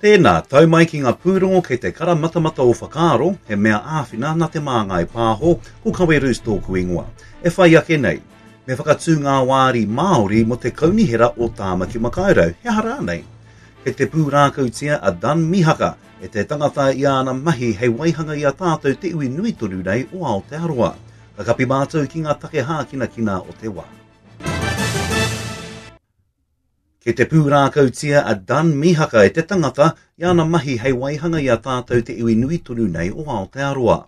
Tēnā, tau mai ki ngā pūrongo kei te kara matamata o whakaaro, he mea āwhina nā Te Māngai Pāho, ko Kawe Roos tōku ingoa. E whai ake nei, me whakatū ngā wāri Māori mō te Kaunihera o Tāmaki Makaurau, he aha rānei? Kei te pūrākautia a Dun Mihaka e te tangata i āna mahi hei waihanga i a tātou te iwi nui tonu nei o Aotearoa. Ka kapi mātou ki ngā take hākinakina o te wā. Kei te pūrākautia a Dun Mihaka e te tangata i ana mahi hei waihanga i a tātou te iwi nui tonu nei o Aotearoa.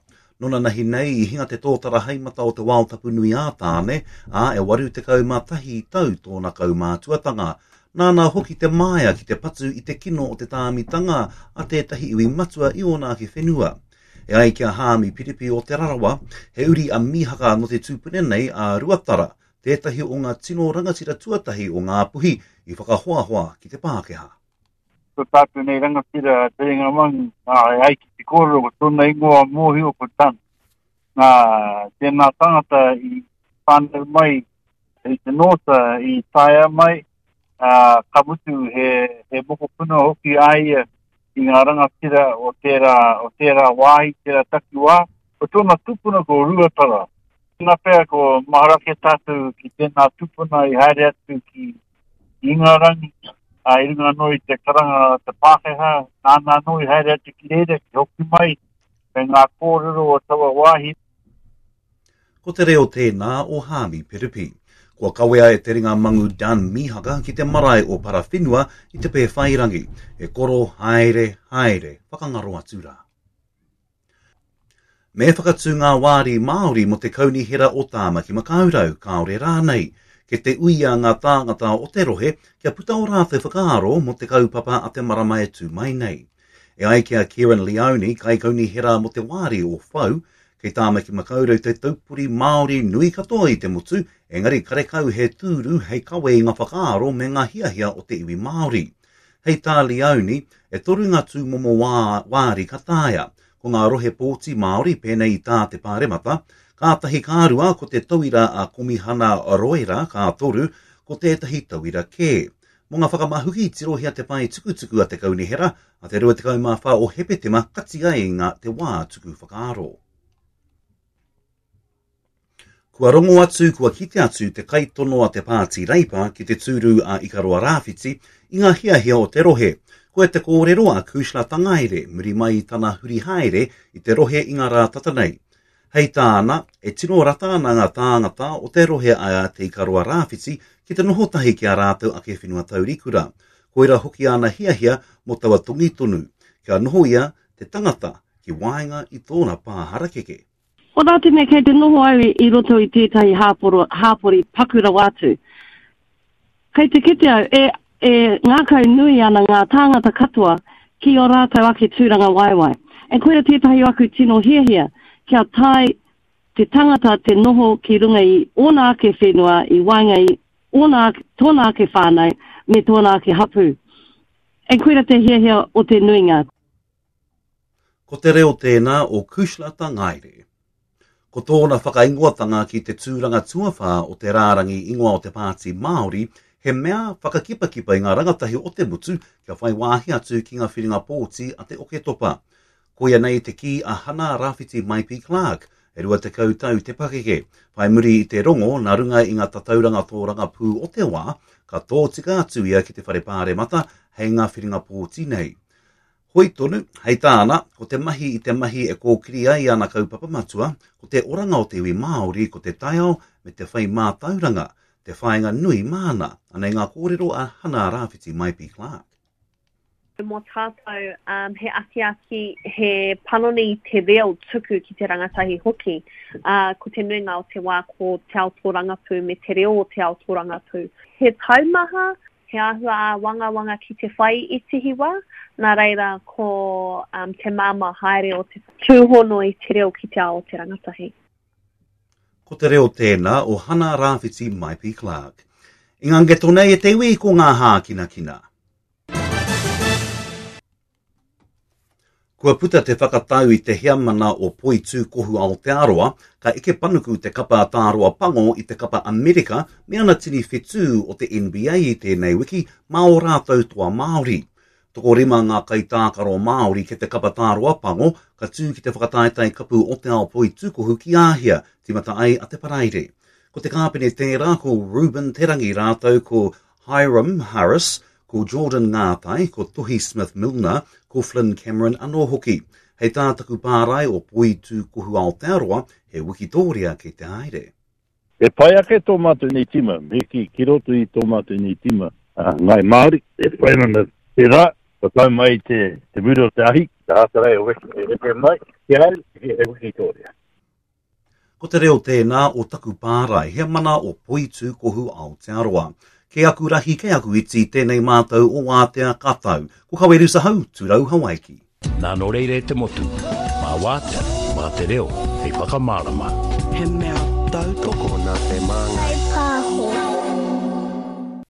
Nonanahi nei i hinga te tōtara haemata o te wao tapu nui a Tāne, ā, e 81 tau tōna kaumātuatanga. Nāna hoki te māia ki te patu i te kino o te tāmitanga a tētahi iwi matua i ōna ake whenua. E ai ki a Hāmi Piripi o Te Rarawa, he uri a Mihaka nō te tupuna nei a Ruatara, tētahi o ngā tino rangatira tuatahi o Ngāpuhi i whakahoahoa ki te Pākehā. Ko tātou nei rangatira a Te Ringa Mangu, ā, e ai ki te kōrero, ko tōna ingoa mōhio ko Tan. Nā, tēnā tangata i whānau mai i te nōta i taea mai, ā, ka mutu he, he mokopuna hoki a ia i ngā rangatira o tērā, o tērā wāhi, tērā takiwā. Ko tōna tupuna ko Ruatara. Tēnā pea ko mahara ake tātou ki tēnā tupuna i haere atu ki Ingarangi, ā, i runga anō i te karanga a te Pākehā, nāna anō i haere atu ki reira, ki hoki mai me ngā kōrero o taua wāhi. Ko te reo tēnā o Hāmi Piripi. Kua kawea e te ringa mangu Dun Mihaka ki te marae o Parawhenua i Te Pēwhairangi. E koro, haere, haere, whakangaro atu rā. Me whakatū ngā wāri Māori mō te Kaunihera o Tāmaki Makaurau, kāore rānei. Kei te uia ngā tāngata o te rohe kia puta ō rātou whakaaro mō te kaupapa a te marama e tū mai nei. E ai ki a Kieran Leone, kaikaunihera mō te wāri o Whau, kei Tāmaki Makaurau te taupori Māori nui katoa i te motu, engari karekau he tūru hei kawe i ngā whakaaro me ngā hiahia o te iwi Māori. Hei tā Leone, e toru ngā tūmomo wā, wāri ka taea. Ko ngā rohe pōti Māori, pēnei i tā te Pāremata, kātahi ka rua ko te tauira a Komihana Roera, ka toru, ko tētahi tauira kē. Mō ngā whakamahuki, tirohia te pae tukutuku a te Kaunihera, a te 24 o Hepetema kati ai ngā te wā tuku whakaaro. Kua rongo atu, kua kite atu te kaitono a te Pāti Reipa ki te tūru a Ikaroa Rāwhiti i ngā hiahia o te rohe. Koia te kōrero a Cushla Tangaere muri mai i tana huri haere i te rohe i ngā rā tata nei. Hei tāna, e tino rata ana ngā tāngata o te rohe a Te Ikaroa Rāwhiti ki te noho tahi ki ā rātou ake whenua taurikura. Koira hoki āna hiahia mō taua tongi tonu, kia noho ia, te tangata, ki waenga i tōna pā harakeke. Ko tā te mea kei te noho au i roto i tētahi hāporo, hāpori paku rawa atu. Kei te kite au, e, e ngākau nui ana ngā tāngata katoa ki ō rātou ake tūrangawaewae. E koira tētahi o aku tino hiahia, kia tae te tangata te noho ki runga i ōna ake whenua, i waenga i ōna ake, tōna ake whānau, me tōna ake hapū. E koira te hiahia o te nuinga. Ko te reo tēnā o Cushla Tangaere. Ko tōna whakaingoatanga ki te tūranga tuawhā o te rārangi ingoa o te Pāti Māori he mea whakakipakipa i ngā rangatahi o te motu kia whai wāhi atu ki ngā whiringa pōti a te Oketopa. Koia nei te kī a Hana Rawhiti Maipi Clarke, e 20 tau te pakeke, whai muri i te rongo nā runga i ngā tatauranga tōrangapū o te wā, ka tōtika atu ia ki te Whare Pāremata hei ngā whiringa pōti nei. Hoi tonu, hei tāna, ko te mahi i te mahi e kōkiri ai ana kaupapa matua, ko te oranga o te iwi Māori, ko te taiao me te whai mātauranga, te whāinga nui māna. Anei ngā kōrero a Hana Rāwhiti Maipi Clarke. Mō tātou, um, he akiaki, he panoni i te reo tuku ki te rangatahi hoki. Uh, ko te nuinga o te wā ko te ao tōrangapū me te reo o te ao tōrangapū. He taumaha, He āhua āwangawanga ki te whai i Tihiwa, nā reira ko um, te māmā haere o te tūhono i te reo ki te ao o te rangatahi. Ko te reo tēnā o Hana Rāwhiti Maipi Clarke. I ngā ngeto nei e te iwi ko ngā hākinakina. Kua puta te whakatau i te heamana o Poitūkohu Aotearoa, ka eke panuku te kapa Tāroa Pango i te kapa Amerika me ana tini whetū o te NBA i tēnei wiki mā ō rātou toa Māori. Tokorima ngā kaitākaro Māori kei te kapa tāroa pango ka tū ki te whakataetae kapu o te ao poitūkohu ki Āhia, tīmata ai a Te Paraire. Ko te kāpene tērā ko Reuben Te Rangi rātou ko Hyrum Harris, ko Jordan Ngātai, ko Tuhi Smith Milner, ko Flynn Cameron anō hoki. Hei tā taku pārae o Poitūkohu Aotearoa, he wikitōria kei te haere. E pai ake tō mātou nei tīma, me kī, ki roto i tō mātou nei tīma, Ngāi Māori, e whai ana te rā, kua tau mai te, te mura o te ahi, te ātarai o weki e rere mai, ki a au, he wikitōria. Ko te reo tēnā o taku pārae, he mana o Poitūkohu Aotearoa. Kei aku rahi, kei aku iti, tēnei mātou o Wātea ka tau. Ko Kawerusa Hau, Turau Hawaiki. Nā nō reira e te motu, mā Wātea, mā te reo hei whakamārama. He mea tautoko nā te Māngai.